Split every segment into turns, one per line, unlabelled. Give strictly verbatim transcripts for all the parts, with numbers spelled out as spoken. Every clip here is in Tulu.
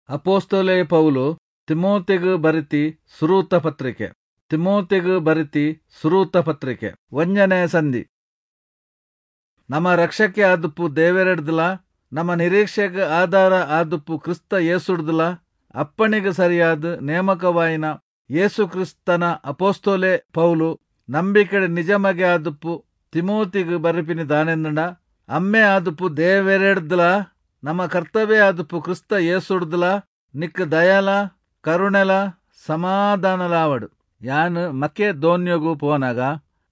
ಅಪೊಸ್ತಲೆ ಪೌಲು ತಿಮೋಥಿಗ್ ಬರೆತಿ ಸುರುತ ಪತ್ರಿಕೆ. ತಿಮೋಥಿಗ್ ಬರೆತಿ ಸುರುತ ಪತ್ರಿಕೆ ಒಂಜನೆ ಸಂಧಿ. ನಮ ರಕ್ಷಕೆ ಆದುಪ್ಪು ದೇವೆರೆಡ್ದ್ಲಾ ನಮ ನಿರೀಕ್ಷೆಗ್ ಆಧಾರ ಆದುಪ್ಪು ಕ್ರಿಸ್ತ ಯೇಸುಡ್ದ್ಲಾ ಅಪ್ಪಣೆಗ್ ಸರಿಯಾದ್ ನೇಮಕವಾಯಿನ ಯೇಸು ಕ್ರಿಸ್ತನ ಅಪೊಸ್ತಲೆ ಪೌಲು ನಂಬಿಕೆಡ್ ನಿಜ ಮಗೆ ಆದುಪ್ಪು ತಿಮೋಥಿಗ್ ಬರೆಪಿನಿ ದಾನೆಂದ್ಂಡ, ಅಮ್ಮೆ ಆದುಪ್ಪು ದೇವೆರೆಡ್ದ್ಲಾ ನಮ ಕರ್ತವೆ ಆದುಪ್ಪು ಕ್ರಿಸ್ತ ಯೇಸುಡ್ದ್ಲಾ ನಿಕ್ಕ್ ದಯಲಾ ಕರುಣೆಲಾ ಸಮಾಧಾನಲಾವಡ್. ಯಾನ್ ಮಕೆದೋನ್ಯೊಗು ಪೋನಗ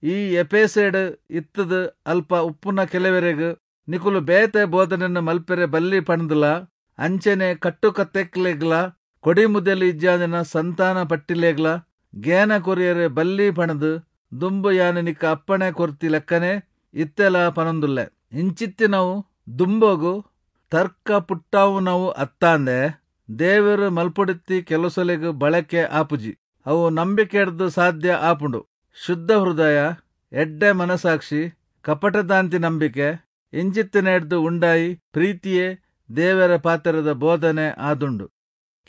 ಈ ಎಫೆಸೆಡ್ ಇತ್ತ್ದ್ ಅಲ್ಪ ಉಪ್ಪುನ ಕೆಲೆವೆರೆಗ್ ನಿಕುಲು ಬೇತೆ ಬೋಧನೆನ್ ಮಲ್ಪೆರೆ ಬಲ್ಲಿ ಪಂಡ್ದ್ಲಾ, ಅಂಚೆನೆ ಕಟ್ಟುಕತೆಕ್ಲೆಗ್ಲಾ ಕೊಡಿಮುದೆಲ್ ಇಜ್ಜಾಂದಿನ ಸಂತಾನ ಪಟ್ಟಿಲೆಗ್ಲಾ ಗೇನ ಕೊರಿಯೆರೆ ಬಲ್ಲಿ ಪಂಡ್ದ್ ದುಂಬು ಯಾನ್ ನಿಕ್ಕ್ ಅಪ್ಪಣೆ ಕೊರ್ತಿ ಲೆಕ್ಕನೆ ಇತ್ತೆಲಾ ಪನೊಂದುಲ್ಲೆ. ಇಂಚಿತ್ತಿನವು ದುಂಬೊಗು ತರ್ಕ ಪುಟ್ಟಾವುನವು ಅತ್ತಾಂದೆ ದೇವೆರ್ ಮಲ್ಪೊಡಿತ್ತಿ ಕೆಲಸೊಲೆಗ್ ಬಳಕೆ ಆಪುಜಿ. ಅವು ನಂಬಿಕೆಡ್ದ್ ಸಾಧ್ಯ ಆಪುಂಡು. ಶುದ್ಧ ಹೃದಯ, ಎಡ್ಡೆ ಮನಸಾಕ್ಷಿ, ಕಪಟದಾಂತಿ ನಂಬಿಕೆ ಇಂಚಿತ್ತಿನೆಡ್ದ್ ಉಂಡಾಯಿ ಪ್ರೀತಿಯೇ ದೇವೆರೆ ಪಾತೆರದ ಬೋಧನೆ ಆದುಂಡು.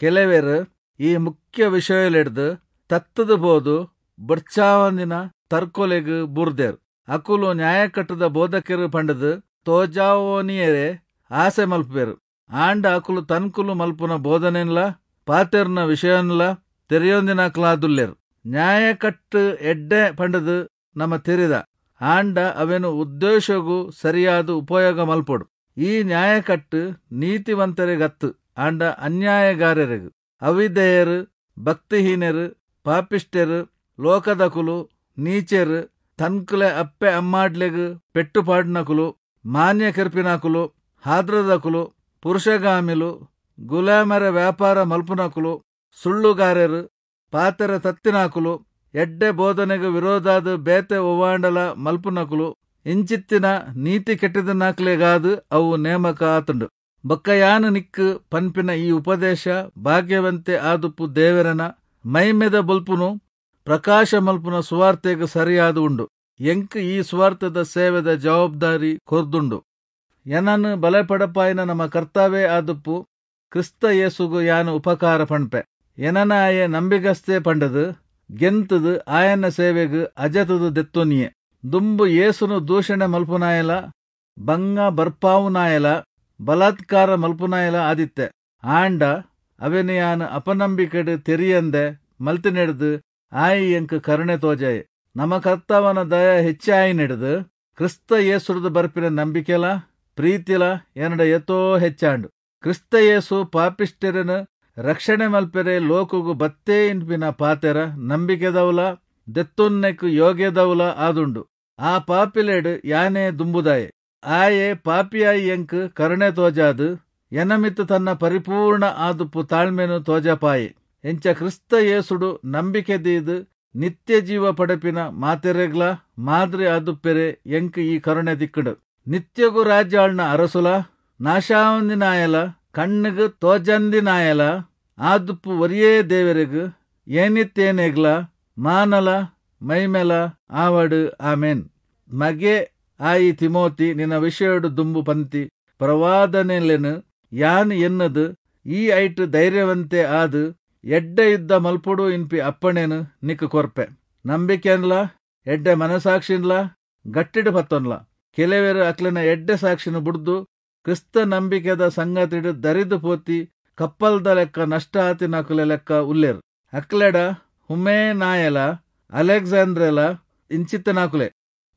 ಕೆಲೆವೆರ್ ಈ ಮುಖ್ಯ ವಿಷಯೊಲೆಡ್ದ್ ತತ್ತ್ದ್ ಪೋದು ಬೊಡ್ಚಾವಂದಿನ ತರ್ಕೊಲೆಗ್ ಬೂರ್ದೆರ್. ಅಕುಲು ನ್ಯಾಯಕಟ್ಟ್ದ ಬೋಧಕೆರ್ ಪಂಡ್ದ್ ತೋಜಾವೊನಿಯೆರೆ ಆಸೆ ಮಲ್ಪುವೆರ್. ಆಂಡ ಅಕುಲು ತನ್ಕುಲು ಮಲ್ಪುನ ಬೋಧನೆನ್ಲಾ ಪಾತೆರುನ ವಿಷಯೊನ್ಲಾ ತೆರಿಯೊಂದಿನಾಕುಲಾದುಲ್ಲೆರ್. ನ್ಯಾಯಕಟ್ಟ್ ಎಡ್ಡೆ ಪಂಡ್ದ್ ನಮ ತೆರಿದ, ಆಂಡ ಅವೆನ್ ಉದ್ದೇಶೊಗು ಸರಿಯಾದ್ ಉಪಯೋಗ ಮಲ್ಪೊಡು. ಈ ನ್ಯಾಯಕಟ್ಟ್ ನೀತಿವಂತೆರೆಗತ್ತ್, ಆಂಡ ಅನ್ಯಾಯಗಾರೆರೆಗ್, ಅವಿಧೇಯೆರ್, ಭಕ್ತಿಹೀನೆರ್, ಪಾಪಿಷ್ಟೆರ್, ಲೋಕದಕುಲು, ನೀಚೆರ್, ತನ್ಕುಲೆ ಅಪ್ಪೆ ಅಮ್ಮಾಡ್ಲೆಗ್ ಪೆಟ್ಟು ಪಾಡಿನಕುಲು, ಮಾನ್ಯ ಕೆರ್ಪಿನಾಕುಲು, ಹಾದ್ರದಕುಲು, ಪುರುಷಗಾಮಿಲು, ಗುಲಾಮರ ವ್ಯಾಪಾರ ಮಲ್ಪುನಕುಲು, ಸುಳ್ಳುಗಾರೆರ್, ಪಾತೆರ ತತ್ತಿನಾಕುಲು, ಎಡ್ಡೆ ಬೋಧನೆಗ್ ವಿರೋಧಾದ್ ಬೇತೆ ಒವ್ವಾಂಡಲ ಮಲ್ಪುನಕುಲು, ಇಂಚಿತ್ತಿನ ನೀತಿ ಕೆಟ್ಟಿದನಾಕ್ಲೆಗಾದ್ ಅವು ನೇಮಕ ಆತುಂಡು. ಬೊಕ್ಕ ಯಾನ್ ನಿಕ್ಕ್ ಪನ್ಪಿನ ಈ ಉಪದೇಶ ಭಾಗ್ಯವಂತೆ ಆದುಪ್ಪು ದೇವೆರೆನ ಮೈಮೆದ ಬೊಲ್ಪುನು ಪ್ರಕಾಶ ಮಲ್ಪುನ ಸುವಾರ್ತೆಗ್ ಸರಿಯಾದ್ ಉಂಡು. ಎಂಕ್ ಈ ಸುವಾರ್ತೆದ ಸೇವೆದ ಜವಾಬ್ದಾರಿ ಕೊರ್ದುಂಡು. ಎನನ್ ಬಲಪಡಪಾಯಿನ ನಮ ಕರ್ತವೆ ಆದುಪ್ಪು ಕ್ರಿಸ್ತ ಯೇಸುಗು ಯಾನ್ ಉಪಕಾರ ಪಣ್ಪೆ. ಎನನ್ ಆಯೆ ನಂಬಿಗಸ್ತೆ ಪಂಡ್ದ್ ಗೆನ್ತ್ದ್ ಆಯನ ಸೇವೆಗ್ ಅಜತ್ದ್ ದೆತ್ತೊನಿಯೆ. ದುಂಬು ಯೇಸುನು ದೂಷಣೆ ಮಲ್ಪುನಾಯೆಲಾ, ಭಂಗ ಬರ್ಪಾವುನಾಯೆಲಾ, ಬಲಾತ್ಕಾರ ಮಲ್ಪುನಾಯೆಲಾ ಆದಿತ್ತೆ. ಆಂಡ ಅವೆನ್ ಯಾನ್ ಅಪನಂಬಿಕೆಡ್ ತೆರಿಯಂದೆ ಮಲ್ತಿನೆಡ್ದ್ ಆಯೆ ಎಂಕ್ ಕರುಣೆ ತೋಜಾಯೆ. ನಮ ಕರ್ತವನ ದಯ ಹೆಚ್ಚಾಯಿನೆಡ್ದ್ ಕ್ರಿಸ್ತ ಯೇಸುಡ್ದು ಬರ್ಪಿನ ನಂಬಿಕೆಲಾ ಪ್ರೀತಿಲಾ ಎನಡ ಏತೋ ಹೆಚ್ಚಾಂಡ್. ಕ್ರಿಸ್ತ ಯೇಸು ಪಾಪಿಷ್ಟೆರೆನ್ ರಕ್ಷಣೆ ಮಲ್ಪೆರೆ ಲೋಕೊಗು ಬತ್ತೇ ಇನ್ಪಿನ ಪಾತೆರ ನಂಬಿಕೆದವುಲಾ ದೆತ್ತೊನ್ನೆಕ್ ಯೋಗ್ಯದವುಲಾ ಆದುಂಡು. ಆ ಪಾಪಿಲೆಡ್ ಯಾನೇ ದುಂಬುದಾಯೆ. ಆಯೆ ಪಾಪಿಯಾಯಿ ಎಂಕ್ ಕರುಣೆ ತೋಜಾದ್ ಎನ ಮಿತ್ತ್ ತನ್ನ ಪರಿಪೂರ್ಣ ಆದುಪ್ಪು ತಾಳ್ಮೆನ್ ತೋಜಪಾಯೆ. ಇಂಚ ಕ್ರಿಸ್ತ ಯೇಸುಡು ನಂಬಿಕೆ ದೀದ್ ನಿತ್ಯ ಜೀವ ಪಡೆಪಿನ ಮಾತೆರೆಗ್ಲಾ ಮಾದ್ರಿ ಆದುಪ್ಪೆರೆ ಎಂಕ್ ಈ ಕರುಣೆ ತಿಕ್ಕ್ಂಡ್. ನಿತ್ಯೊಗು ರಾಜ್ಯ ಆಳ್ನ ಅರಸುಲಾ, ನಾಶಾವಂದಿನಾಯೆಲಾ, ಕಣ್ಣ್ಗ್ ತೋಜಂದಿನಾಯೆಲಾ ಆದುಪ್ಪು ಒರಿಯೇ ದೇವೆರೆಗ್ ಏನಿತ್ಯೇನೆಗ್ಲಾ ಮಾನಲ ಮೈಮೆಲಾ ಆವಡ್. ಆಮೆನ್. ಮಗೆ ಆಯಿ ತಿಮೋಥಿ, ನಿನ ವಿಷಯೊಡು ದುಂಬು ಪಂತಿ ಪ್ರವಾದನೆಲೆನ್ ಯಾನ್ ಎನ್ನ್ದ್ ಈ ಐಟ್ ಧೈರ್ಯವಂತೆ ಆದ್ ಎಡ್ಡೆ ಯುದ್ಧ ಮಲ್ಪೊಡು ಇನ್ಪಿ ಅಪ್ಪಣೆನ್ ನಿಕ್ಕ್ ಕೊರ್ಪೆ. ನಂಬಿಕೆನ್ಲಾ ಎಡ್ಡೆ ಮನಸಾಕ್ಷಿನ್ಲಾ ಗಟ್ಟಿಡ್ ಪತ್ತೊನ್ಲ. ಕೆಲೆವೆರ್ ಅಕ್ಲೆನ ಎಡ್ಡೆ ಸಾಕ್ಷಿನ್ ಬುಡ್ದು ಕ್ರಿಸ್ತ ನಂಬಿಕೆದ ಸಂಗತಿಡ್ ದರಿದ್ ಪೋತಿ ಕಪ್ಪಲ್ದ ಲೆಕ್ಕ ನಷ್ಟ ಆತಿನಕುಲೆ ಲೆಕ್ಕ ಉಲ್ಲೆರ್. ಅಕ್ಲೆಡ ಹುಮೆನಾಯೆಲಾ ಅಲೆಕ್ಸಾಂದ್ರೆಲಾ ಇಂಚಿತ್ತಿನಾಕುಲೇ.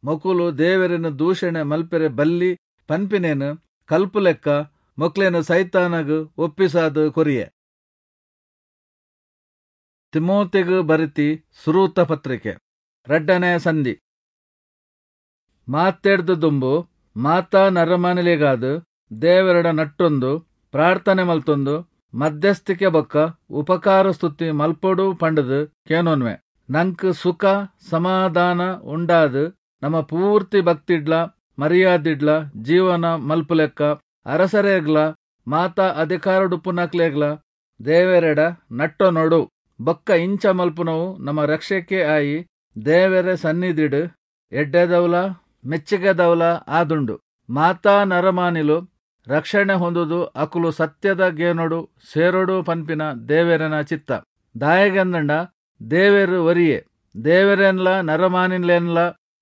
ಮೊಕುಲು ದೇವೆರೆನ್ ದೂಷಣೆ ಮಲ್ಪೆರೆ ಬಲ್ಲಿ ಪನ್ಪಿನೆನ್ ಕಲ್ಪುಲೆಕ್ಕ ಮೊಕ್ಲೆನ್ ಸೈತಾನಗ್ ಒಪ್ಪಿಸಾದ್ ಕೊರಿಯೆ. ತಿಮೋಥಿಗ್ ಬರೆತಿ ಸುರುತ ಪತ್ರಿಕೆ ರಡ್ಡನೆ ಸಂಧಿ. ಮಾತೆಡ್ದ್ ದುಂಬು ಮಾತಾ ನರಮಾನಿಲೆಗಾದ್ ದೇವೆರೆಡ ನಟ್ಟೊಂದು ಪ್ರಾರ್ಥನೆ ಮಲ್ತೊಂದು ಮಧ್ಯಸ್ಥಿಕೆ ಬೊಕ್ಕ ಉಪಕಾರ ಸ್ತುತಿ ಮಲ್ಪೊಡು ಪಂಡ್ದ್ ಕೇನೊನ್ವೆ. ನಂಕ್ ಸುಖ ಸಮಾಧಾನ ಉಂಡಾದ್ ನಮ ಪೂರ್ತಿ ಭಕ್ತಿಡ್ಲಾ ಮರ್ಯಾದಿಡ್ಲಾ ಜೀವನ ಮಲ್ಪುಲೆಕ್ಕ ಅರಸರೆಗ್ಲಾ ಮಾತಾ ಅಧಿಕಾರೊಡುಪ್ಪುನಕ್ಲೆಗ್ಲಾ ದೇವೆರೆಡ ನಟ್ಟೊನೊಡು. ಬೊಕ್ಕ ಇಂಚ ಮಲ್ಪುನವು ನಮ ರಕ್ಷಕೆ ಆಯಿ ದೇವೆರೆ ಸನ್ನಿಧಿಡ್ ಎಡ್ಡೆದವುಲಾ ಮೆಚ್ಚಿಗೆದವುಲಾ ಆದುಂಡು. ಮಾತಾ ನರಮಾನಿಲು ರಕ್ಷಣೆ ಹೊಂದುದು ಅಕುಲು ಸತ್ಯದ ಗೇನೊಡು ಸೇರೊಡು ಪನ್ಪಿನ ದೇವೆರೆನ ಚಿತ್ತ. ದಾಯೆಗಂದ್ಂಡ ದೇವೆರ್ ಒರಿಯೆ, ದೇವೆರೆನ್ಲ ನರಮಾನಿಲೆನ್ಲ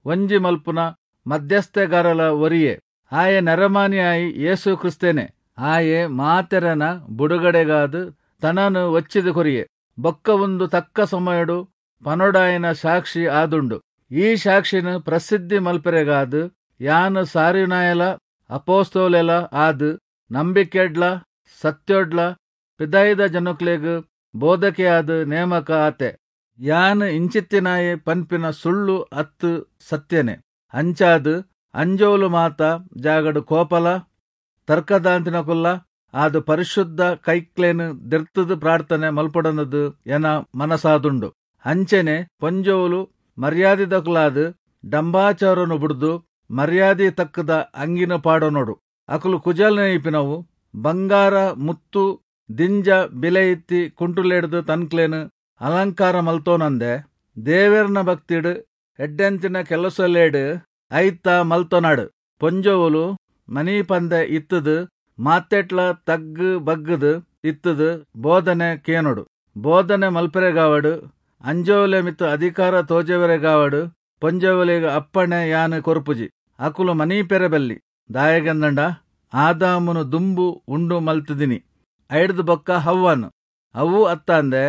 ಒಂಜಿ ಮಲ್ಪುನ ಮಧ್ಯಸ್ಥಗಾರಲ ಒರಿಯೆ, ಆಯೆ ನರಮಾನಿಯಾಯಿ ಯೇಸು ಕ್ರಿಸ್ತನೇ. ಆಯೆ ಮಾತೆರೆನ ಬುಡುಗಡೆಗಾದ್ ತನನ್ ಒಚ್ಚಿದ್ ಕೊರಿಯೆ. ಬೊಕ್ಕ ಉಂದು ತಕ್ಕ ಸಮಯೊಡು ಪನೊಡಾಯಿನ ಸಾಕ್ಷಿ ಆದುಂಡು. ಈ ಸಾಕ್ಷಿನ್ ಪ್ರಸಿದ್ಧಿ ಮಲ್ಪೆರೆಗಾದ್ ಯಾನ್ ಸಾರಿಯುನಾಯೆಲಾ ಅಪೊಸ್ತಲೆಲಾ ಆದ್ ನಂಬಿಕೆಡ್ಲಾ ಸತ್ಯೊಡ್ಲಾ ಪಿದಯಿದ ಜನೊಕ್ಲೆಗ್ ಬೋಧಕೆಯಾದ್ ನೇಮಕ ಆತೆ. ಯಾನ್ ಇಂಚಿತ್ತಿನಾಯೆ ಪನ್ಪಿನ ಸುಳ್ಳು ಅತ್ತ್ ಸತ್ಯನೇ. ಅಂಚಾದ್ ಅಂಜೊವುಲು ಮಾತ ಜಾಗಡ್ ಕೋಪಲಾ ತರ್ಕದಾಂತಿನಕುಲ್ಲಾ ಆದ್ ಪರಿಶುದ್ಧ ಕೈಕ್ಲೆನ್ ದೆರ್ತ್ತ್ದ್ ಪ್ರಾರ್ಥನೆ ಮಲ್ಪೊಡಂದ್ದ್ ಎನ ಮನಸಾದುಂಡು. ಅಂಚೆನೆ ಪೊಂಜೊವುಲು ಮರ್ಯಾದಿದಕುಲಾದ್ ಡಂಭಾಚಾರೊನು ಬುಡ್ದು ಮರ್ಯಾದಿ ತಕ್ಕದ ಅಂಗಿನ್ ಪಾಡೊನೊಡು. ಅಕುಲು ಕುಜಲ್ ನೆಯ್ಪಿನವು, ಬಂಗಾರ, ಮುತ್ತು, ದಿಂಜ ಬಿಲೆಯಿತ್ತಿ ಕುಂಟುಲೆಡ್ದ್ ತನ್ಕ್ಲೆನ್ ಅಲಂಕಾರ ಮಲ್ತೊನಂದೆ ದೇವೆರ್ನ ಭಕ್ತಿಡ್ ಎಡ್ಡೆಂತಿನ ಕೆಲಸೊಲೆಡ್ ಐತ ಮಲ್ತೊನಡ್. ಪೊಂಜೊವುಲು ಮನೀಪಂದೆ ಇತ್ತ್ದ್ ಮಾತೆಟ್ಲಾ ತಗ್ಗ್ ಬಗ್ಗ್ದ್ ಇತ್ತ್ದ್ ಬೋಧನೆ ಕೇನೊಡು. ಬೋಧನೆ ಮಲ್ಪೆರೆಗಾವಡ್, ಅಂಜೊವುಲೆ ಮಿತ್ತ್ ಅಧಿಕಾರ ತೋಜಾವೆರೆಗಾವಡ್ ಪೊಂಜೊವುಲೆಗ್ ಅಪ್ಪಣೆ ಯಾನ್ ಕೊರ್ಪುಜಿ. ಅಕುಲು ಮನೀಪೆರೆ ಬಲ್ಲಿ. ದಾಯೆಗಂದ್ಂಡ ಆದಾಮುನು ದುಂಬು ಉಂಡು ಮಲ್ತ್ದಿನಿ, ಐಡ್ದ್ ಬೊಕ್ಕ ಹವ್ವನ್. ಅವು ಅತ್ತಂದೆ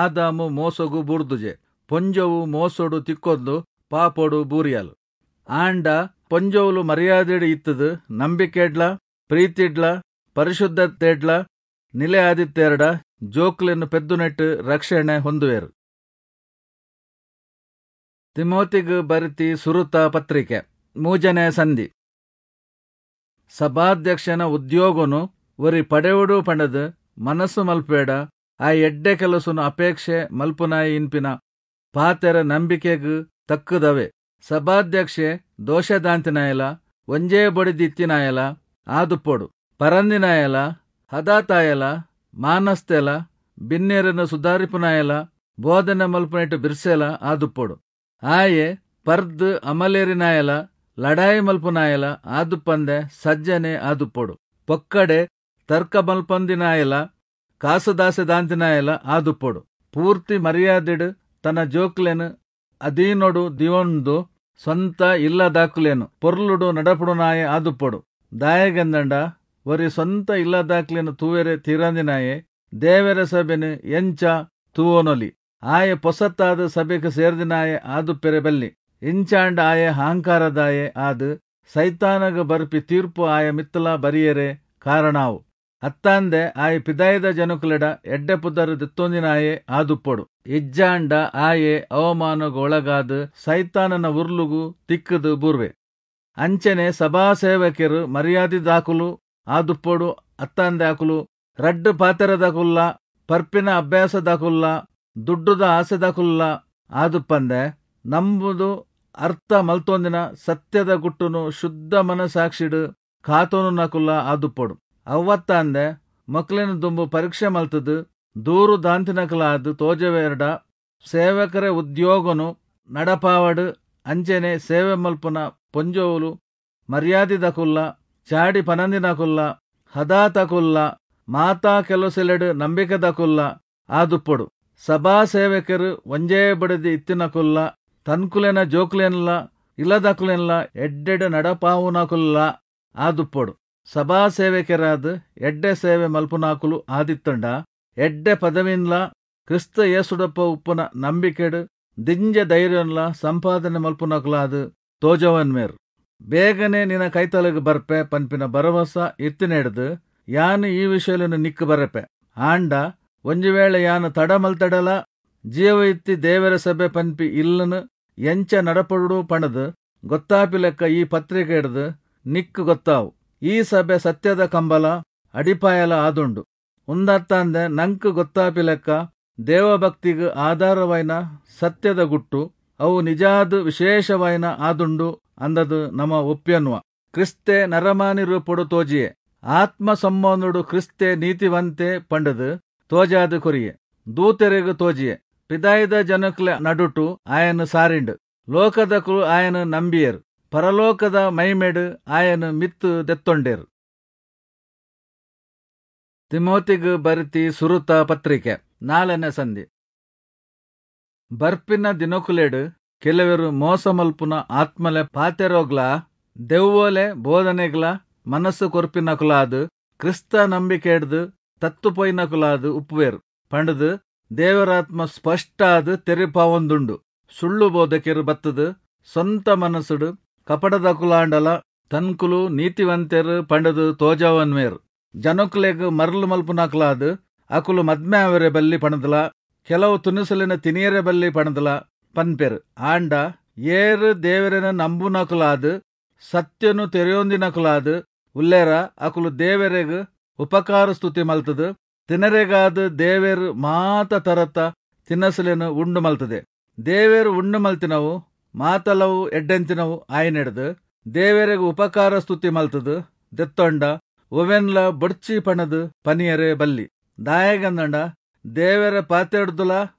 ಆದಾಮು ಮೋಸೊಗು ಬೂರ್ದುಜೆ, ಪೊಂಜೊವು ಮೋಸೊಡು ತಿಕ್ಕೊಂದು ಪಾಪೊಡು ಬೂರಿಯಲ್. ಆಂಡ ಪೊಂಜೊವುಲು ಮರ್ಯಾದಿಡ್ ಇತ್ತ್ದ್ ನಂಬಿಕೆಡ್ಲಾ ಪ್ರೀತಿಡ್ಲಾ ಪರಿಶುದ್ಧತೆಡ್ಲಾ ನಿಲೆ ಆದಿತ್ತೆರ್ಡ ಜೋಕುಲೆನ್ ಪೆದ್ದುನೆಟ್ ರಕ್ಷಣೆ ಹೊಂದುವೆರ್. ತಿಮೋಥಿಗ್ ಬರೆತಿ ಸುರುತ ಪತ್ರಿಕೆ ಮೂಜನೇ ಸಂಧಿ. ಸಭಾಧ್ಯಕ್ಷನ ಉದ್ಯೋಗೊನು ಒರಿ ಪಡೆವೊಡು ಪಂಡ್ದ್ ಮನಸ್ಸು ಮಲ್ಪುವೆಡ ಆ ಎಡ್ಡೆ ಕೆಲಸೊನು ಅಪೇಕ್ಷೆ ಮಲ್ಪುನಾಯೆ ಇನ್ಪಿನ ಪಾತೆರ ನಂಬಿಕೆಗ್ ತಕ್ಕುದವೇ. ಸಭಾಧ್ಯಕ್ಷೆ ದೋಷದಾಂತಿನಾಯೆಲಾ ಒಂಜೇ ಬೊಡೆದಿ ಇತ್ತಿನಾಯೆಲಾ ಆದುಪ್ಪೊಡು. ಪರಂದಿನಾಯೆಲಾ ಹದಾತಾಯೆಲಾ ಮಾನಸ್ತೆಲಾ ಬಿನ್ನೆರೆನ್ ಸುಧಾರಿಪುನಾಯೆಲಾ ಬೋಧನೆ ಮಲ್ಪುನೆಟ್ ಬಿರ್ಸೆಲಾ ಆದುಪ್ಪೊಡು. ಆಯೆ ಪರ್ದ್ ಅಮಲೇರಿನಾಯೆಲಾ ಲಡಾಯಿ ಮಲ್ಪುನಾಯೆಲಾ ಆದುಪ್ಪಂದೆ ಸಜ್ಜನೆ ಆದುಪ್ಪೊಡು. ಪೊಕ್ಕಡೆ ತರ್ಕ ಮಲ್ಪಂದಿನಾಯೆಲಾ ಕಾಸುದಾಸೆದಾಂತಿನಾಯೆಲಾ ಆದುಪ್ಪೊಡು. ಪೂರ್ತಿ ಮರ್ಯಾದಿಡ್ ತನ ಜೋಕುಲೆನ್ ಅಧೀನೊಡು ದೀವೊಂದು ಸ್ವಂತ ಇಲ್ಲದಾಕುಲೆನ್ ಪೊರ್ಲುಡು ನಡಪುಡುನಾಯೆ ಆದುಪ್ಪೊಡು. ದಾಯೆಗಂದ್ಂಡ ಒರಿ ಸ್ವಂತ ಇಲ್ಲದಾಕುಲೆನ್ ತೂವೆರೆ ತೀರಂದಿನಾಯೆ ದೇವೆರೆ ಸಭೆನ್ ಎಂಚ ತೂವೊನೊಲಿ? ಆಯೆ ಪೊಸತ್ತಾದ್ ಸಭೆಕ್ ಸೇರ್ದಿನಾಯೆ ಆದುಪ್ಪೆರೆ ಬಲ್ಲಿ. ಇಂಚಾಂಡ ಆಯೆ ಅಹಂಕಾರದಾಯೆ ಆದ್ ಸೈತಾನಗ್ ಬರ್ಪಿ ತೀರ್ಪು ಆಯ ಮಿತ್ತ್ಲಾ ಬರಿಯೆರೆ ಕಾರಣ ಆವು. ಅತ್ತಂದೆ ಆಯೆ ಪಿದಯಿದ ಜನೊಕುಲೆಡ ಎಡ್ಡೆ ಪುದರ್ ದೆತ್ತೊಂದಿನಾಯೆ ಆದುಪ್ಪೊಡು. ಇಜ್ಜಾಂಡ ಆಯೆ ಅವಮಾನೊಗು ಒಳಗಾದ್ ಸೈತಾನನ ಉರ್ಲುಗು ತಿಕ್ಕ್ದ್ ಬೂರ್ವೆ. ಅಂಚೆನೆ ಸಭಾಸೇವಕೆರ್ ಮರ್ಯಾದಿದಾಕುಲು ಆದುಪ್ಪೊಡು ಅತ್ತಂದೆ ಅಕುಲು ರಡ್ಡ್ ಪಾತೆರದಾಕುಲ್ಲಾ, ಪರ್ಪಿನ ಅಭ್ಯಾಸದಾಕುಲ್ಲಾ, ದುಡ್ಡುದ ಆಸೆದಾಕುಲ್ಲಾ ಆದುಪ್ಪಂದೆ ನಂಬುದು ಅರ್ಥ ಮಲ್ತೊಂದಿನ ಸತ್ಯದ ಗುಟ್ಟುನು ಶುದ್ಧ ಮನಸಾಕ್ಷಿಡ್ ಕಾತೊನುನಕುಲ್ಲಾ ಆದುಪ್ಪೊಡು. ಅವ್ವತ್ತಂದೆ ಮೊಕ್ಲೆನ್ ದುಂಬು ಪರೀಕ್ಷೆ ಮಲ್ತ್ದ್ ದೂರು ದಾಂತಿನಕುಲಾದ್ ತೋಜಾವೆರ್ಡ ಸೇವಕರೆ ಉದ್ಯೋಗೊನು ನಡಪಾವಡ್. ಅಂಚೆನೆ ಸೇವೆ ಮಲ್ಪುನ ಪೊಂಜೊವುಲು ಮರ್ಯಾದಿದಕುಲ್ಲಾ, ಚಾಡಿ ಪನಂದಿನಕುಲ್ಲಾ, ಹದಾತಕುಲ್ಲಾ, ಮಾತಾ ಕೆಲಸೊಲೆಡ್ ನಂಬಿಕೆದಕುಲ್ಲಾ ಆದುಪ್ಪೊಡು. ಸಭಾಸೇವಕೆರ್ ಒಂಜೇ ಬೊಡೆದಿ ಇತ್ತಿನಕುಲ್ಲಾ, ತನ್ಕುಲೆನ ಜೋಕುಲೆನ್ಲಾ ಇಲ್ಲದಕುಲೆನ್ಲಾ ಎಡ್ಡೆಡ್ ನಡಪಾವುನಕುಲ್ಲಾ ಆದುಪ್ಪೊಡು. ಸಭಾಸೇವಕೆರಾದ್ ಎಡ್ಡೆ ಸೇವೆ ಮಲ್ಪುನಾಕುಲು ಆದಿತ್ತ್ಂಡ ಎಡ್ಡೆ ಪದವಿನ್ಲಾ ಕ್ರಿಸ್ತ ಯೇಸುಡೊಪ್ಪ ಉಪ್ಪುನ ನಂಬಿಕೆಡ್ ದಿಂಜ ಧೈರ್ಯೊನ್ಲಾ ಸಂಪಾದನೆ ಮಲ್ಪುನಕುಲಾದ್ ತೋಜಾವೊನ್ವೆರ್. ಬೇಗನೆ ನಿನ ಕೈತಲ್ಗ್ ಬರ್ಪೆ ಪನ್ಪಿನ ಭರವಸ ಇತ್ತಿನೆಡ್ದ್ ಯಾನ್ ಈ ವಿಷಯೊಲೆನ್ ನಿಕ್ಕ್ ಬರೆಪೆ. ಆಂಡ ಒಂಜಿ ವೇಳೆ ಯಾನ್ ತಡ ಮಲ್ತೆಡಲಾ ಜೀವ ಇತ್ತಿ ದೇವೆರೆ ಸಭೆ ಪನ್ಪಿ ಇಲ್ಲ್ನ್ ಎಂಚ ನಡಪೊಡು ಪಂಡ್ದ್ ಗೊತ್ತಾಪಿಲೆಕ್ಕ ಈ ಪತ್ರಿಕೆಡ್ದ್ ನಿಕ್ಕ್ ಗೊತ್ತಾವು. ಈ ಸಭೆ ಸತ್ಯದ ಕಂಬಲ ಅಡಿಪಾಯಲ ಆದುಂಡು. ಉಂದತ್ತಂದೆ ನಂಕ್ ಗೊತ್ತಾಪಿಲೆಕ್ಕ ದೇವಭಕ್ತಿಗ್ ಆಧಾರವಾಯಿನ ಸತ್ಯದ ಗುಟ್ಟು, ಅವು ನಿಜಾದ್ ವಿಶೇಷವಾಯಿನ ಆದುಂಡು ಅಂದದ್ ನಮ ಒಪ್ಪಿಯೊನ್ವ. ಕ್ರಿಸ್ತೆ ನರಮಾನಿ ರೂಪೊಡು ತೋಜಿಯೆ, ಆತ್ಮ ಸಂಬಂಧೊಡು ಕ್ರಿಸ್ತೆ ನೀತಿವಂತೆ ಪಂಡ್ದ್ ತೋಜಾದ್ ಕೊರಿಯೆ, ದೂತೆರೆಗ್ ತೋಜಿಯೆ, ಪಿದಯಿದ ಜನೊಕುಲೆ ನಡುಟು ಆಯನ್ ಸಾರಿಂಡ್, ಲೋಕದಕುಲು ಆಯನ್ ನಂಬಿಯೆರ್, ಪರಲೋಕದ ಮೈಮೆಡ್ ಆಯನ್ ಮಿತ್ತ್ ದೆತ್ತೊಂಡೆರ್. ತಿಮೋತಿಗ್ ಬರಿತಿ ಸುರುತ ಪತ್ರಿಕೆ ನಾಲ್ನೇ ಸಂಧಿ. ಬರ್ಪಿನ ದಿನಕುಲೆಡ್ ಕೆಲವರು ಮೋಸ ಮಲ್ಪುನ ಆತ್ಮಲೆ ಪಾತೆರೋಗ್ಲಾ ದೆವ್ವೋಲೆ ಬೋಧನೆಗ್ಲಾ ಮನಸ್ಸು ಕೊರ್ಪಿನಕುಲಾದ್ ಕ್ರಿಸ್ತ ನಂಬಿಕೆಡ್ದು ತತ್ತು ಪೋಯಿನಕುಲಾದ್ ಉಪ್ಪುವೆರು ಪಂಡುದು ದೇವರಾತ್ಮ ಸ್ಪಷ್ಟಾದ್ ತೆರಿಪಾವೊಂದುಂಡು. ಸುಳ್ಳು ಬೋಧಕೆರು ಬತ್ತದು ಸ್ವಂತ ಮನಸ್ಸುಡು ಕಪಟದಕುಲಾಂಡಲ ತನ್ಕುಲು ನೀತಿವಂತೆರು ಪಂಡುದು ತೋಜವನ್ವೇರು. ಜನಕುಲೆಗ್ ಮರ್ಲು ಮಲ್ಪುನಕುಲಾದ್ ಅಕುಲು ಮದ್ಮೆ ಆವರೆ ಬಲ್ಲಿ ಪಣದಲ ಕೆಲವು ತುನುಸುಲೆನ ತಿನಿಯರೆ ಬಲ್ಲಿ ಪಣದಲ ಪನ್ಪೆರು. ಆಂಡ ಏರು ದೇವರನ ನಂಬುನಕುಲಾದ್ ಸತ್ಯನು ತೆರೆಯೊಂದಿನಕುಲಾದ್ ಉಲ್ಲೇರ ಅಕುಲು ದೇವರೆಗ್ ಉಪಕಾರ ಸ್ತುತಿ ಮಲ್ತದು ತಿನರೆಗಾದ ದೇವೆರ್ ಮಾತ ತರತ ತಿನಸುಲೆನು ಉಂಡು ಮಲ್ತದೆ. ದೇವೆರ್ ಉಂಡು ಮಲ್ತಿನವು ಮಾತಲವು ಎಡ್ಡೆಂತಿನವು ಆಯ್ನೆಡ್ದು ದೇವೆರೆಗ್ ಉಪಕಾರ ಸ್ತುತಿ ಮಲ್ತದು ದೆತ್ತೊಂಡ ಒವೆನ್ಲ ಬೊಡ್ಚಿ ಪಣದು ಪನಿಯರೆ ಬಲ್ಲಿ. ದಾಯೆಗಂದಂಡ ದೇವೆರ ಪಾತೆಡ್ದುಲ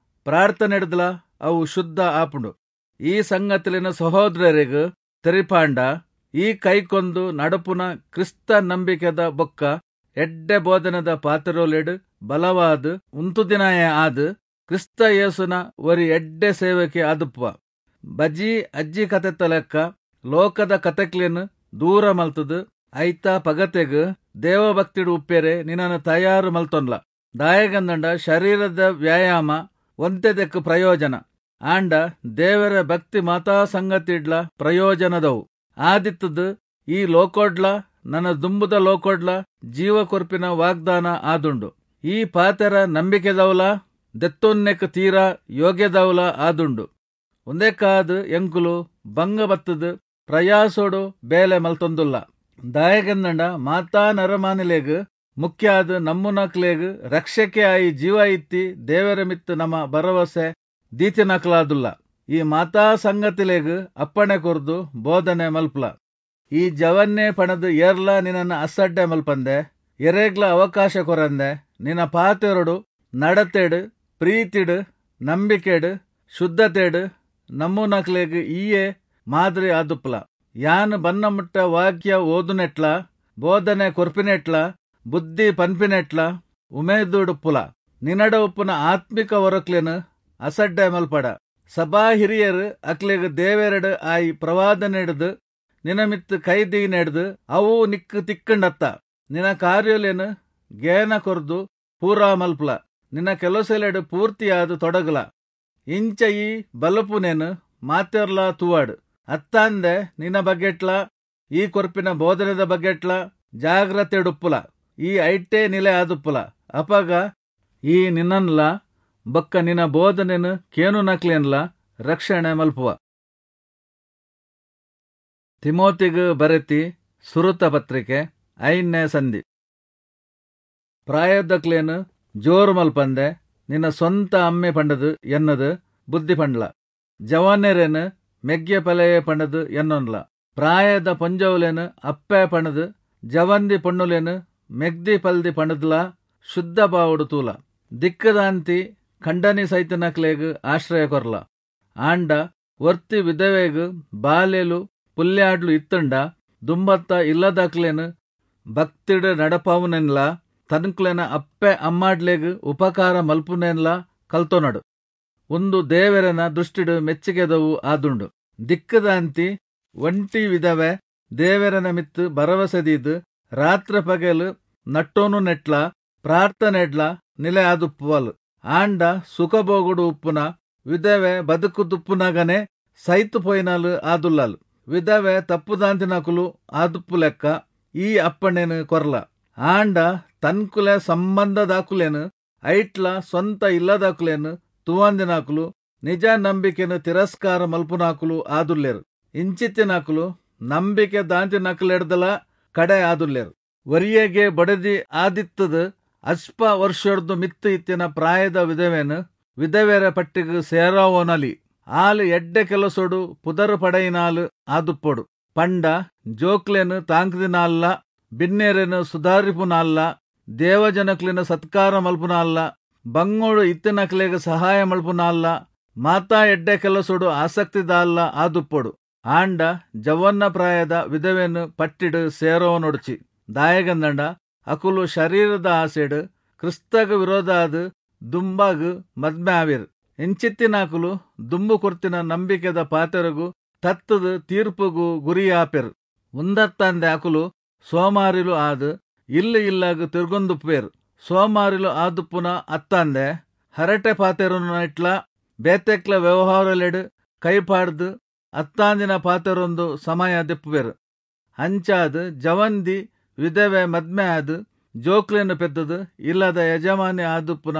ಪ್ರಾರ್ಥನೆಡ್ದುಲ ಅವು ಶುದ್ಧ ಆಪುಂಡು. ಈ ಸಂಗತಿಲಿನ ಸಹೋದರರಿಗ್ ತೆರಿಪಾಂಡ ಈ ಕೈಕೊಂದು ನಡಪುನ ಕ್ರಿಸ್ತ ನಂಬಿಕೆದ ಬೊಕ್ಕ ಎಡ್ಡೆ ಬೋಧನದ ಪಾತೆರೋಲೆಡ್ ಬಲವಾದ ಉಂತುದಿನಾಯ ಆದ್ ಕ್ರಿಸ್ತ ಯೇಸುನ ಒರಿ ಎಡ್ಡೆ ಸೇವಕೆ ಆದುಪ್ಪುವ. ಬಜಿ ಅಜ್ಜಿ ಕತೆತ್ತ ಲೆಕ್ಕ ಲೋಕದ ಕತೆಕ್ಲೆನ್ ದೂರ ಮಲ್ತದು ಐತ ಪಗತೆಗ್ ದೇವಭಕ್ತಿಡು ಉಪ್ಪೆರೆ ನಿನ್ನನ್ನು ತಯಾರು ಮಲ್ತೊನ್ಲ. ದಾಯೆಗಂದಂಡ ಶರೀರದ ವ್ಯಾಯಾಮ ಒಂತೆದಕ್ಕೆ ಪ್ರಯೋಜನ, ಆಂಡ ದೇವರ ಭಕ್ತಿ ಮಾತಾ ಸಂಗತಿಡ್ಲ ಪ್ರಯೋಜನದವು. ಆದಿತ್ತದು ಈ ಲೋಕೋಡ್ಲ ನನ್ನ ದುಂಬುದ ಲೋಕೋಡ್ಲ ಜೀವ ಕೊರ್ಪಿನ ವಾಗ್ದಾನ ಆದುಂಡು. ಈ ಪಾತೆರ ನಂಬಿಕೆದವಲ ದೆತ್ತೊನ್ನೆಕ್ ತೀರಾ ಯೋಗ್ಯದವಲ ಆದುಂಡು. ಒಂದೇಕಾದ್ ಎಂಕುಲು ಭಂಗ ಬತ್ತದು ಪ್ರಯಾಸೋಡು ಬೇಲೆ ಮಲ್ತೊಂದುಲ್ಲ. ದಾಯೆಗಂದಂಡ ಮಾತಾ ನರಮಾನಿಲೆಗ್ ಮುಖ್ಯ ಆದ್ ನಮ್ಮುನಕ್ಲೆಗ್ ರಕ್ಷಕೆ ಆಯಿ ಜೀವ ಇತ್ತಿ ದೇವರ ಮಿತ್ತು ನಮ್ಮ ಭರವಸೆ ದೀತಿನಕ್ಲಾದುಲ್ಲ. ಈ ಮಾತಾ ಸಂಗತಿಲೆಗ್ ಅಪ್ಪಣೆ ಕೊರ್ದು ಬೋಧನೆ ಮಲ್ಪಲ. ಈ ಜವನ್ನೇ ಪಣದು ಏರ್ಲಾ ನಿನ್ನನ್ನು ಅಸಡ್ಡೆ ಮಲ್ಪಂದೆ, ಎರೆಗ್ಲ ಅವಕಾಶ ಕೊರಂದೆ, ನಿನ್ನ ಪಾತೆರೊಡು ನಡತೆಡು ಪ್ರೀತಿಡು ನಂಬಿಕೆಡು ಶುದ್ಧತೆಡು ನಮ್ಮುನಕ್ಲೆಗ್ ಈಯೇ ಮಾದರಿ ಆದುಪ್ಪಲ. ಯಾನ್ ಬನ್ನ ಮುಟ್ಟ ವಾಕ್ಯ ಓದುನೆಟ್ಲ ಬೋಧನೆ ಕೊರ್ಪಿನೆಟ್ಲ ಬುದ್ಧಿ ಪನ್ಪಿನೆಟ್ಲ ಉಮೇದುಡುಪ್ಪುಲ. ನಿನಡ ಉಪ್ಪುನ ಆತ್ಮಿಕ ಹೊರಕ್ಲೆನ್ ಅಸಡ್ಡೆ ಮಲ್ಪಡ. ಸಭಾ ಹಿರಿಯರು ಅಕ್ಲೆಗ್ ದೇವೆರಡು ಆಯಿ ಪ್ರವಾದನೆಡ್ದು ನಿನಮಿತ್ತು ಕೈದೀನೆಡ್ದು ಅವು ನಿಕ್ಕು ತಿಕ್ಕಂಡತ್ತ. ನಿನ್ನ ಕಾರ್ಯಲೇನು ಗೇನ ಕೊರ್ದು ಪೂರಾ ಮಲ್ಪಲ. ನಿನ್ನ ಕೆಲಸಲೆಡು ಪೂರ್ತಿಯಾದ ತೊಡಗಲ. ಇಂಚ ಈ ಬಲಪುನೇನು ಮಾತೆರ್ಲಾ ತೂವಾಡು. ಅತ್ತಾಂದೆ ನಿನ್ನ ಬಗ್ಗೆಟ್ಲ ಈ ಕೊರ್ಪಿನ ಬೋಧನೆದ ಬಗ್ಗೆಟ್ಲ ಜಾಗ್ರತೆಡುಪ್ಪುಲ. ಈ ಐಟೇ ನಿಲೆ ಆದುಪ್ಪುಲ. ಅಪಗ ಈ ನಿನ್ನನ್ಲ ಬೊಕ್ಕ ನಿನ್ನ ಬೋಧನೆನು ಕೇನು ನಕ್ಲೇನ್ಲ ರಕ್ಷಣೆ ಮಲ್ಪುವ. ತಿಮೋತಿಗ್ ಬರೆತಿ ಸುರುತ ಪತ್ರಿಕೆ ಐನೇ ಸಂಧಿ. ಪ್ರಾಯದಕ್ಲೇನು ಜೋರು ಮಲ್ಪಂದೆ ನಿನ್ನ ಸ್ವಂತ ಅಮ್ಮೆ ಪಂಡದು ಎನ್ನದು ಬುದ್ಧಿ ಪಂಡ್ಲ. ಜವಾನೆರೇನು ಮೆಗ್ಯ ಪಲೆಯೇ ಪಂಡದು ಎನ್ನೊನ್ಲ. ಪ್ರಾಯದ ಪೊಂಜವುಲೇನು ಅಪ್ಪೆ ಪಣದು ಜವಂದಿ ಪೊಣ್ಣುಲೇನು ಮೆಗ್ದಿ ಪಲ್ದಿ ಪಂಡದ್ಲ ಶುದ್ಧ ಬಾವುಡು ತೂಲ. ದಿಕ್ಕದಾಂತಿ ಖಂಡನಿ ಸೈತನಕ್ಲೆಗ್ ಆಶ್ರಯ ಕೊರ್ಲ. ಆಂಡ ಒರ್ತಿ ವಿಧವೆಗ್ ಬಾಲೆಲು ಪುಲ್ಯಾಡ್ಲು ಇತ್ತಂಡ ದುಂಬತ್ತ ಇಲ್ಲದಕ್ಲೇನು ಭಕ್ತಿಡು ನಡಪಾವುನೆನ್ಲ ತನ್ಕ್ಲೆನ ಅಪ್ಪೆ ಅಮ್ಮಾಡ್ಲೆಗ್ ಉಪಕಾರ ಮಲ್ಪುನೆನ್ಲ ಕಲ್ತೊನಡು. ಒಂದು ದೇವರನ ದೃಷ್ಟಿಡು ಮೆಚ್ಚಿಗೆದವು ಆದುಂಡು. ದಿಕ್ಕದಾಂತಿ ಒಂಟಿ ವಿಧವೆ ದೇವರನ ಮಿತ್ತು ಭರವಸೆದೀದು ರಾತ್ರಿ ಪಗಲು ನಟ್ಟೋನು ನೆಟ್ಲ ಪ್ರಾರ್ಥನೆಡ್ಲ ನಿಲೆ ಆದುಪ್ಪುವಲು. ಆಂಡ ಸುಖಭೋಗುಡು ಉಪ್ಪುನ ವಿಧವೆ ಬದುಕು ತುಪ್ಪುನಗನೆ ಸೈತು ಪೋಯಿನಾಲು ಆದುಲ್ಲಲು. ವಿಧವೆ ತಪ್ಪುದಾಂತಿನಕುಲು ಆದುಪ್ಪು ಲೆಕ್ಕ ಈ ಅಪ್ಪಣೆನು ಕೊರ್ಲ. ಆಂಡ ತನ್ಕುಲೆ ಸಂಬಂಧದಾಕುಲೇನು ಐಟ್ಲ ಸ್ವಂತ ಇಲ್ಲದಾಕುಲೇನು ತುವಂದಿನಾಕುಲು ನಿಜ ನಂಬಿಕೆನು ತಿರಸ್ಕಾರ ಮಲ್ಪುನಾಕುಲು ಆದುಲ್ಲೇರು. ಇಂಚಿತ್ತಿನಾಕುಲು ನಂಬಿಕೆ ದಾಂತಿನಕುಲೆಡ್ದಲ ಕಡೆ ಆದುಲ್ಲೇರು. ವರಿಯಗೆ ಬಡದಿ ಆದಿತ್ತದು ಅಸ್ಪ ವರ್ಷಡ್ದು ಮಿತ್ತು ಇತ್ತಿನ ಪ್ರಾಯದ ವಿಧವೇನು ವಿಧವೆರ ಪಟ್ಟಿಗೆ ಸೇರಾವೋನಲಿ. ಆಲು ಎಡ್ಡೆ ಕೆಲಸೊಡು ಪುದರು ಪಡೆಯಿನಾಲು ಆದುಪ್ಪೊಡು. ಪಂಡ ಜೋಕ್ಲೆನು ತಾಂಕ್ದಿನಾಲ್ಲ, ಬಿನ್ನೇರೆನು ಸುಧಾರಿಪುನಾಲ್ಲ, ದೇವಜನಕ್ಲೆನು ಸತ್ಕಾರ ಮಲ್ಪುನಾಲ್ಲ, ಬಂಗೋಡು ಇತ್ತಿನಕ್ಲೆಗ್ ಸಹಾಯ ಮಲ್ಪುನಾಲ್ಲ, ಮಾತಾ ಎಡ್ಡೆ ಕೆಲಸೊಡು ಆಸಕ್ತಿದಾಲ್ಲ ಆದುಪ್ಪೊಡು. ಆಂಡ ಜವನ್ನ ಪ್ರಾಯದ ವಿಧವೆನು ಪಟ್ಟಿಡು ಸೇರೋನೊಡ್ಚಿ. ದಾಯಗಂದಂಡ ಅಕುಲು ಶರೀರದ ಆಸೆಡ್ ಕ್ರಿಸ್ತಗ್ ವಿರೋಧಾದ್ ದುಂಬಾಗ್ ಮದ್ಮೆ ಆವೆರ್. ಇಂಚಿತ್ತಿನಾಕುಲು ದುಂಬು ಕೊರ್ತಿನ ನಂಬಿಕೆದ ಪಾತೆರೊಗು ತತ್ತ್ದ್ ತೀರ್ಪುಗು ಗುರಿ ಆಪೆರ್. ಉಂದತ್ತಂದೆ ಅಕುಲು ಸೋಮಾರಿಲು ಆದ್ ಇಲ್ಲ್ ಇಲ್ಲಗ್ ತಿರ್ಗೊಂದುಪ್ಪುವೆರ್. ಸೋಮಾರಿಲು ಆದುಪ್ಪುನ ಅತ್ತಂದೆ ಹರಟೆ ಪಾತೆರುನೈಟ್ಲಾ ಬೇತೆಕ್ಲೆ ವ್ಯವಹಾರೊಲೆಡ್ ಕೈ ಪಾಡ್ದ್ ಅತ್ತಾಂದಿನ ಪಾತೆರೊಂದು ಸಮಯ ದೆಪ್ಪುವೆರ್. ಅಂಚಾದ್ ಜವನ್ದಿ ವಿಧವೆ ಮದ್ಮೆ ಆದ್ ಜೋಕುಲೆನ್ ಪೆದ್ದ್ದ್ ಇಲ್ಲದ ಯಜಮಾನಿ ಆದುಪ್ಪುನ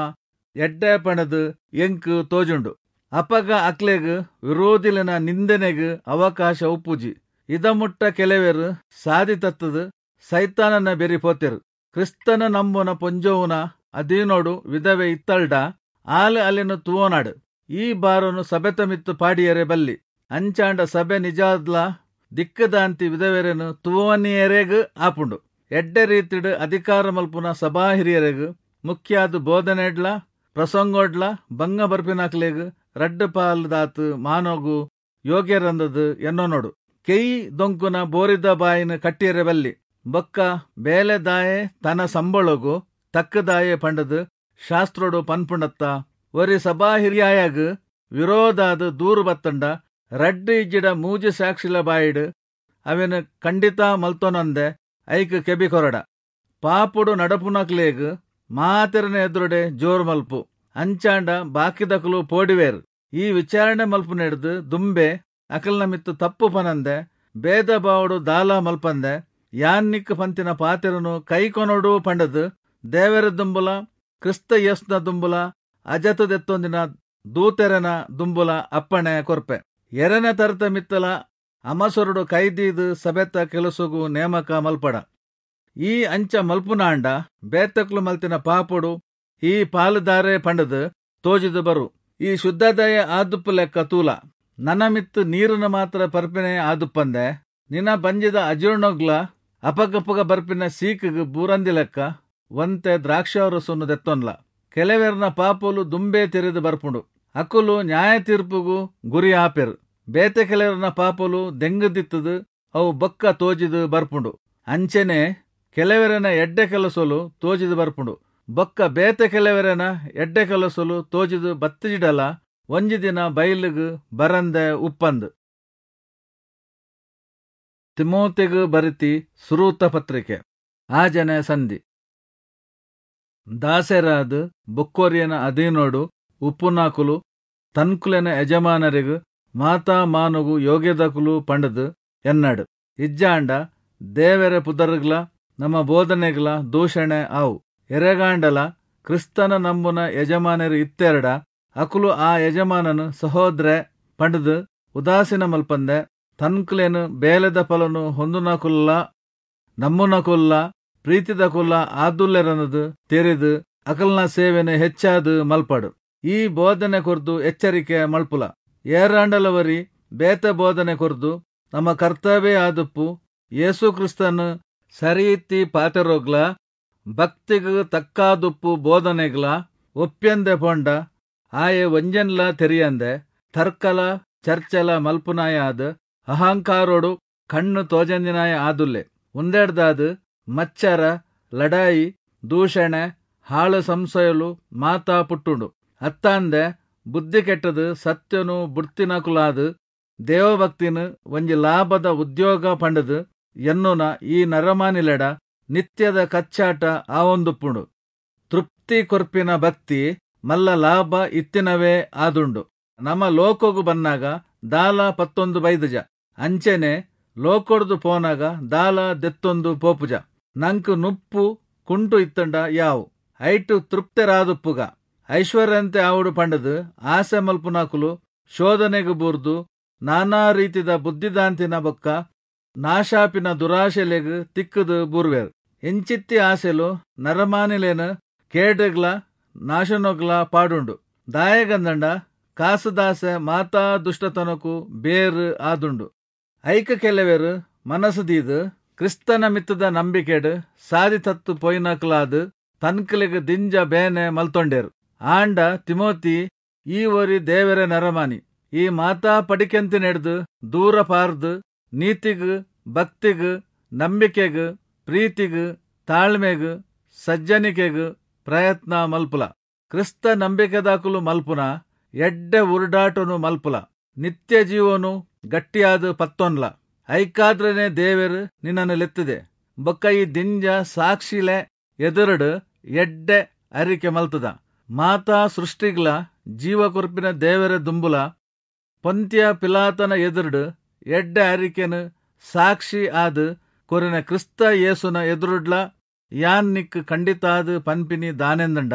ಎಡ್ಡೆ ಪಂಡ್ದ್ ಎಂಕ್ ತೋಜುಂಡು. ಅಪಗ ಅಕ್ಲೆಗ್ ವಿರೋಧಿಲೆನ ನಿಂದನೆಗ್ ಅವಕಾಶ ಉಪ್ಪುಜಿ. ಇದ ಮುಟ್ಟ ಕೆಲೆವೆರ್ ಸಾದಿ ತತ್ತ್ದ್ ಸೈತಾನನ ಬೆರಿ ಪೋತೆರ್. ಕ್ರಿಸ್ತನ್ ನಂಬುನ ಪೊಂಜೊವುನ ಅಧೀನೊಡು ವಿಧವೆ ಇತ್ತಲ್ಡ ಆಲ್ ಅಲೆನ್ ತೂವೊನಡ್. ಈ ಭಾರೊನು ಸಭೆತ ಮಿತ್ತ್ ಪಾಡಿಯೆರೆ ಬಲ್ಲಿ. ಅಂಚಾಂಡ ಸಭೆ ನಿಜಾದ್ಲಾ ದಿಕ್ಕದಾಂತಿ ವಿಧವೆರೆನ್ ತೂವೊನಿಯೆರೆಗ್ ಆಪುಂಡು. ಎಡ್ಡೆ ರೀತಿಡ್ ಅಧಿಕಾರ ಮಲ್ಪುನ ಸಭಾ ಹಿರಿಯೆರೆಗ್ ಮುಖ್ಯಾದ್ ಬೋಧನೆಡ್ಲಾ ಪ್ರಸಂಗೊಡ್ಲಾ ಭಂಗ ಬರ್ಪಿನಾಕುಲೆಗ್ ರಡ್ಡ್ ಪಾಲ್ ದಾತ್ ಮಾನೊಗು ಯೋಗ್ಯೆರಂದ್ದ್ ಎನ್ನೊನೊಡು. ಕೆಯಿ ದೊಂಕುನ ಬೋರಿದ ಬಾಯಿನ್ ಕಟ್ಟಿಯೆರೆ ಬಲ್ಲಿ. ಬೊಕ್ಕ ಬೇಲೆದಾಯೆ ತನ ಸಂಬಳೊಗು ತಕ್ಕದಾಯೆ ಪಂಡ್ದ್ ಶಾಸ್ತ್ರೊಡು ಪನ್ಪುಂಡತ್ತಾ. ಒರಿ ಸಭಾಹಿರಿಯಾಯಗ್ ವಿರೋಧಾದ್ ದೂರು ಬತ್ತ್ಂಡ ರಡ್ಡ್ ಇಜ್ಜಿಡ ಮೂಜಿ ಸಾಕ್ಷಿಲೆ ಬಾಯಿಡ್ ಅವೆನ್ ಕಂಡಿತ ಮಲ್ತೊನಂದೆ ಐಕ್ ಕೆಬಿ ಕೊರಡ. ಪಾಪೊಡು ನಡಪುನಾಕುಲೆಗ್ ಮಾತೆರೆನ ಎದುರುಡೆ ಜೋರು ಮಲ್ಪು. ಅಂಚಾಂಡ ಬಾಕಿದಕುಲು ಪೋಡಿವೆರ್. ಈ ವಿಚಾರಣೆ ಮಲ್ಪುನೆಡ್ದ್ ದುಂಬೇ ಅಕಲ್ನ ಮಿತ್ತ್ ತಪ್ಪು ಪನಂದೆ ಭೇದ ಭಾವೊಡು ದಾಲಾ ಮಲ್ಪಂದೆ ಯಾನ್ ನಿಕ್ಕ್ ಪನ್ತಿನ ಪಾತೆರೊನು ಕೈಕೊನೊಡು ಪಂಡ್ದ್ ದೇವೆರೆ ದುಂಬುಲಾ ಕ್ರಿಸ್ತ ಯೇಸುನ ದುಂಬುಲಾ ಅಜತ್ ದೆತ್ತೊಂದಿನ ದೂತೆರೆನ ದುಂಬುಲಾ ಅಪ್ಪಣೆ ಕೊರ್ಪೆ. ಎರೆನ ತರೆತ ಮಿತ್ತ್ಲಾ ಅಮಸರೊಡು ಕೈ ದೀದ್ ಸಭೆತ ಕೆಲಸೊಗು ನೇಮಕ ಮಲ್ಪಡ. ಈ ಅಂಚ ಮಲ್ಪುನಾಂಡ ಬೇತೆಕ್ಲು ಮಲ್ತಿನ ಪಾಪೊಡು ಈ ಪಾಲ್ದಾರೆ ಪಂಡ್ದ್ ತೋಜಿದ್ ಬರು. ಈ ಶುದ್ಧದಾಯೆ ಆದುಪ್ಪುಲೆಕ್ಕ ತೂಲ. ನನ ಮಿತ್ತ್ ನೀರ್ನ್ ಮಾತ್ರ ಪರ್ಪಿನಯೆ ಆದುಪ್ಪಂದೆ, ನಿನ ಬಂಜಿದ ಅಜೀರ್ಣೊಗ್ಲಾ ಅಪಗಪಗ ಬರ್ಪಿನ ಸೀಕ್ಗ್ ಬೂರಂದಿಲೆಕ್ಕ ಒಂತೆ ದ್ರಾಕ್ಷಾರಸೊನು ದೆತ್ತೊನ್ಲ. ಕೆಲೆವೆರ್ನ ಪಾಪೊಲು ದುಂಬೇ ತೆರಿದ್ ಬರ್ಪುಂಡು, ಅಕುಲು ನ್ಯಾಯತೀರ್ಪುಗು ಗುರಿ ಆಪೆರ್. ಬೇತೆ ಕೆಲೆವೆರ್ನ ಪಾಪೊಲು ದೆಂಗ್ದಿತ್ತ್ದ್ ಅವು ಬೊಕ್ಕ ತೋಜಿದ್ ಬರ್ಪುಂಡು. ಅಂಚೆನೇ ಕೆಲೆವೆರೆನ ಎಡ್ಡೆ ಕೆಲಸೊಲು ತೋಜಿದ್ ಬರ್ಪುಂಡು. ಬೊಕ್ಕ ಬೇತೆ ಕೆಲೆವೆರೆನ ಎಡ್ಡೆ ಕೆಲಸೊಲು ತೋಜಿದ್ ಬತ್ತಿಜಿಡಲಾ ಒಂಜಿ ದಿನ ಬೈಲ್ಗ್ ಬರಂದೆ ಉಪ್ಪಂದ್. ತಿಮೋಥಿಗ್ ಬರೆತಿ ಸುರುತ್ತ ಪತ್ರಿಕೆ, ಆಜನೆ ಸಂಧಿ. ದಾಸೆರಾದ್ ಬೊಕ್ಕೊರಿಯನ ಅಧೀನೊಡು ಉಪ್ಪುನಾಕುಲು ತನ್ಕುಲೆನ ಯಜಮಾನರೆಗ್ ಮಾತಾ ಮಾನೊಗು ಯೋಗ್ಯದಾಕುಲು ಪಂಡ್ದ್ ಎನ್ನಡ್. ಇಜ್ಜಾಂಡ ದೇವೆರೆ ಪುದರ್ಗ್ಲಾ ನಮ ಬೋಧನೆಗ್ಲಾ ದೂಷಣೆ ಆವು. ಏರೆಗಾಂಡಲಾ ಕ್ರಿಸ್ತನ್ ನಂಬುನ ಯಜಮಾನೆರ್ ಇತ್ತೆರ್ಡ ಅಕುಲು ಆ ಯಜಮಾನನ್ ಸಹೋದ್ರೆ ಪಂಡ್ದ್ ಉದಾಸೀನ ಮಲ್ಪಂದೆ ತನ್ಕುಲೆನ್ ಬೇಲೆದ ಫಲೊನು ಹೊಂದುನಾಕುಲುಲಾ ನಂಬುನಾಕುಲುಲಾ ಪ್ರೀತಿದಕುಲುಲಾ ಆದುಲ್ಲೆರಂದ್ದ್ ತೆರಿದ್ ಅಕಲ್ನ ಸೇವೆನ್ ಹೆಚ್ಚಾದ್ ಮಲ್ಪಡ್. ಈ ಬೋಧನೆ ಕೊರ್ದು ಎಚ್ಚರಿಕೆ ಮಲ್ಪುಲ. ಏರಾಂಡಲ ಒರಿ ಬೇತೆ ಬೋಧನೆ ಕೊರ್ದು ನಮ ಕರ್ತವೆ ಆದುಪ್ಪು ಯೇಸು ಕ್ರಿಸ್ತನ್ ಸರಿಯಿತ್ತಿ ಪಾತೆರೊಗ್ಲಾ ಭಕ್ತಿಗ್ ತಕ್ಕಾದುಪ್ಪು ಬೋಧನೆಗ್ಲಾ ಒಪ್ಪ್ಯಂದೆ ಪೋಂಡ ಆಯೆ ಒಂಜೆನ್ಲಾ ತೆರಿಯಂದೆ ತರ್ಕಲಾ ಚರ್ಚೆಲಾ ಮಲ್ಪುನಾಯೆ ಆದ್ ಅಹಂಕಾರೊಡು ಕಣ್ಣ್ ತೋಜಂದಿನಾಯೆ ಆದುಲ್ಲೆ. ಉಂದೆಡ್ದಾದ್ ಮಚ್ಚರ, ಲಡಾಯಿ, ದೂಷಣೆ, ಹಾಳ್ ಸಂಸಯೊಲು ಮಾತಾ ಪುಟ್ಟುಂಡು. ಅತ್ತಾಂದೆ ಬುದ್ಧಿ ಕೆಟ್ಟ್ದ್ ಸತ್ಯೊನು ಬುಡ್ತಿನಾಕುಲಾದ್ ದೇವಭಕ್ತಿನ್ ಒಂಜಿ ಲಾಭದ ಉದ್ಯೋಗ ಪಂಡ್ದ್ ಎನ್ನುನ ಈ ನರಮಾನಿಲೆಡ ನಿತ್ಯದ ಕಚ್ಚಾಟ ಆವೊಂದುಪ್ಪುಂಡು. ತೃಪ್ತಿ ಕೊರ್ಪಿನ ಭಕ್ತಿ ಮಲ್ಲ ಲಾಭ ಇತ್ತಿನವೇ ಆದುಂಡು. ನಮ ಲೋಕೊಗು ಬನ್ನಗ ದಾಲಾ ಪತ್ತೊಂದು ಬೈದಿಜ, ಅಂಚೆನೇ ಲೋಕೊಡ್ದು ಪೋನಗ ದಾಲಾ ದೆತ್ತೊಂದು ಪೋಪುಜ. ನಂಕ್ ನುಪ್ಪು ಕುಂಟು ಇತ್ತ್ಂಡ ಯಾವು, ಐಟ್ಟ್ ತೃಪ್ತೆರಾದುಪ್ಪುಗ. ಐಶ್ವರ್ಯವಂತೆ ಆವೊಡು ಪಂಡ್ದ್ ಆಸೆ ಮಲ್ಪುನಾಕುಲು ಶೋಧನೆಗ್ ಬೂರ್ದು ನಾನಾ ರೀತಿದ ಬುದ್ಧಿದಾಂತಿನ ಬೊಕ್ಕ ನಾಶಾಪಿನ ದುರಾಶೆಲೆಗ್ ತಿಕ್ಕ್ದ್ ಬೂರುವೆರ್. ಇಂಚಿತ್ತಿ ಆಸೆಲು ನರಮಾನಿಲೆನ್ ಕೇಡ್ಗ್ಲಾ ನಾಶನೊಗ್ಲಾ ಪಾಡುಂಡು. ದಾಯೆಗಂದ್ಂಡ ಕಾಸ್ದಾಸೆ ಮಾತಾ ದುಷ್ಟತನೊಕು ಬೇರ್ ಆದುಂಡು. ಐಕ್ ಕೆಲೆವೆರ್ ಮನಸ್ ದೀದ್ ಕ್ರಿಸ್ತನ ಮಿತ್ತ್ದ ನಂಬಿಕೆಡ್ ಸಾದಿ ತತ್ತ್ ಪೋಯಿನಾಕುಲಾದ್ ತನ್ಕುಲೆಗ್ ದಿಂಜ ಬೇನೆ ಮಲ್ತೊಂಡೆರ್. ಆಂಡ ತಿಮೋಥಿ, ಈ ಒರಿ ದೇವೆರೆ ನರಮಾನಿ. ಈ ಮಾತಾ ಪಡಿಕೆಂತಿನೆಡ್ದ್ ದೂರ ಪಾರ್ದ್ ನೀತಿಗ್, ಭಕ್ತಿಗ್, ನಂಬಿಕೆಗ್, ಪ್ರೀತಿಗ್, ತಾಳ್ಮೆಗ್ ಸಜ್ಜನಿಕೆಗ್ ಪ್ರಯತ್ನ ಮಲ್ಪುಲ. ಕ್ರಿಸ್ತ ನಂಬಿಕೆದಾಕುಲು ಮಲ್ಪುನ ಎಡ್ಡೆ ಉರ್ಡಾಟೊನು ಮಲ್ಪುಲ. ನಿತ್ಯ ಜೀವೊನು ಗಟ್ಟಿಯಾದ್ ಪತ್ತೊನ್ಲ. ಐಕಾದ್ರನೆ ದೇವೆರ್ ನಿನನ್ ಲೆತ್ತದೆ ಬೊಕ್ಕ ಈ ದಿಂಜ ಸಾಕ್ಷಿಲೆ ಎದುರುಡು ಎಡ್ಡೆ ಅರಿಕೆ ಮಲ್ತ್ದ. ಮಾತಾ ಸೃಷ್ಟಿಗ್ಲಾ ಜೀವ ಕೊರ್ಪಿನ ದೇವೆರೆ ದುಂಬುಲಾ ಪೊಂತ್ಯ ಪಿಲಾತನ ಎದುರುಡು ಎಡ್ಡೆ ಅರಿಕೆನ್ ಸಾಕ್ಷಿ ಆದ್ ಕೊರಿನ ಕ್ರಿಸ್ತ ಯೇಸುನ ಎದುರುಡ್ಲಾ ಯಾನ್ ನಿಕ್ಕ್ ಕಂಡಿತಾದ್ ಪನ್ಪಿನಿ ದಾನೆಂದ್ಂಡ,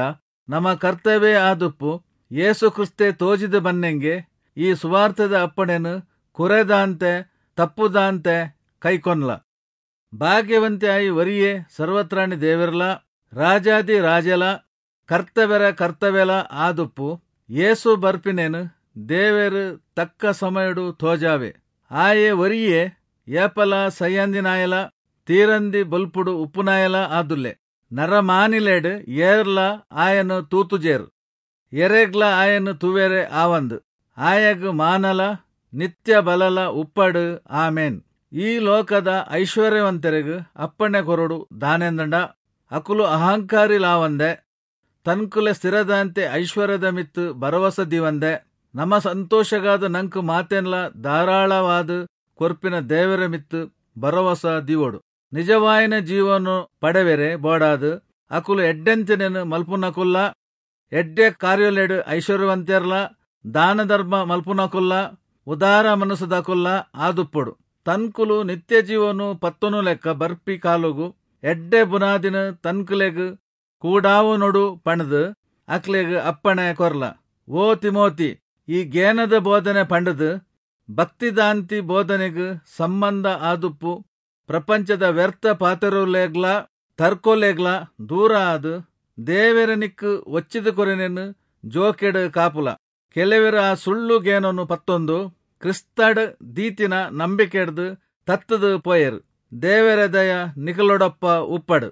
ನಮ ಕರ್ತವೆ ಆದುಪ್ಪು ಯೇಸು ಕ್ರಿಸ್ತೆ ತೋಜಿದ್ ಬನ್ನೆಂಗೆ ಈ ಸುವಾರ್ತೆದ ಅಪ್ಪಣೆನ್ ಕುರೆದಾಂತೆ ತಪ್ಪುದಾಂತೆ ಕೈಕೊನ್ಲ. ಭಾಗ್ಯವಂತೆ ಆಯಿ ಒರಿಯೇ ಸರ್ವತ್ರಾಣಿ ದೇವೆರ್ಲಾ ರಾಜಾದಿ ರಾಜೆಲಾ ಕರ್ತವೆರ ಕರ್ತವೆಲಾ ಆದುಪ್ಪು ಯೇಸು ಬರ್ಪಿನೆನ್ ದೇವೆರ್ ತಕ್ಕ ಸಮಯೊಡು ತೋಜಾವೆ. ಆಯೆ ಒರಿಯೇ ಏಪಲಾ ಸೈಯಂದಿನಾಯೆಲಾ ತೀರಂದಿ ಬೊಲ್ಪುಡು ಉಪ್ಪುನಾಯೆಲಾ ಆದುಲ್ಲೆ. ನರಮಾನಿಲೆಡ್ ಏರ್ಲಾ ಆಯನ್ ತೂತುಜೆರ್, ಏರೆಗ್ಲಾ ಆಯನ್ ತೂವೆರೆ ಆವಂದ್. ಆಯಗ್ ಮಾನಲಾ ನಿತ್ಯ ಬಲಲಾ ಉಪ್ಪಡ್. ಆಮೆನ್. ಈ ಲೋಕದ ಐಶ್ವರ್ಯವಂತೆರೆಗ್ ಅಪ್ಪಣೆ ಕೊರೊಡು ದಾನೆಂದ್ಂಡ, ಅಕುಲು ಅಹಂಕಾರಿಲಾವಂದೆ, ತನ್ಕುಲೆ ಸ್ಥಿರದಾಂತಿ ಐಶ್ವರ್ಯದ ಮಿತ್ತ್ ಭರವಸ ದೀವಂದೆ, ನಮ ಸಂತೋಷಗಾದ್ ನಂಕ್ ಮಾತೆನ್ಲಾ ಧಾರಾಳವಾದ್ ಕೊರ್ಪಿನ ದೇವೆರೆ ಮಿತ್ತ್ ಭರವಸ ದೀವೊಡು. ನಿಜವಾಯಿನ ಜೀವೊನು ಪಡೆವೆರೆ ಬೋಡಾದ್ ಅಕುಲು ಎಡ್ಡೆಂತಿನೆನ್ ಮಲ್ಪುನಕುಲ್ಲಾ, ಎಡ್ಡೆ ಕಾರ್ಯೊಲೆಡ್ ಐಶ್ವರ್ಯವಂತೆರ್ಲಾ, ದಾನ ಧರ್ಮ ಮಲ್ಪುನಕುಲ್ಲಾ, ಉದಾರ ಮನಸ್ಸುದಕುಲ್ಲಾ ಆದುಪ್ಪೊಡು. ತನ್ಕುಲು ನಿತ್ಯಜೀವೊನು ಪತ್ತೊನುಲೆಕ್ಕ ಬರ್ಪಿ ಕಾಲೊಗು ಎಡ್ಡೆ ಬುನಾದಿನ್ ತನ್ಕುಲೆಗ್ ಕೂಡಾವೊನೊಡು ಪಂಡ್ದ್ ಅಕ್ಲೆಗ್ ಅಪ್ಪಣೆ ಕೊರ್ಲ. ಓ ತಿಮೋಥಿ, ಈ ಗೇನದ ಬೋಧನೆ ಪಂಡ್ದ್ ಭಕ್ತಿದಾಂತಿ ಬೋಧನೆಗ್ ಸಮ್ಮಂದ ಆದುಪ್ಪು ಪ್ರಪಂಚದ ವ್ಯರ್ಥ ಪಾತೆರೊಲೆಗ್ಲಾ ತರ್ಕೊಲೆಗ್ಲಾ ದೂರ ಆದ್ ದೇವೆರ್ ನಿಕ್ಕ್ ಒಚ್ಚಿದ್ ಕೊರಿನೆನ್ ಜೋಕೆಡ್ ಕಾಪುಲ. ಕೆಲೆವೆರ್ ಆ ಸುಳ್ಳು ಗೇನೊನು ಪತ್ತೊಂದು ಕ್ರಿಸ್ತಡ್ ದೀತಿನ ನಂಬಿಕೆಡ್ದ್ ತತ್ತ್ದ್ ಪೋಯೆರ್. ದೇವೆರೆ ದಯ ನಿಕುಲೊಡೊಪ್ಪ ಉಪ್ಪಡ್.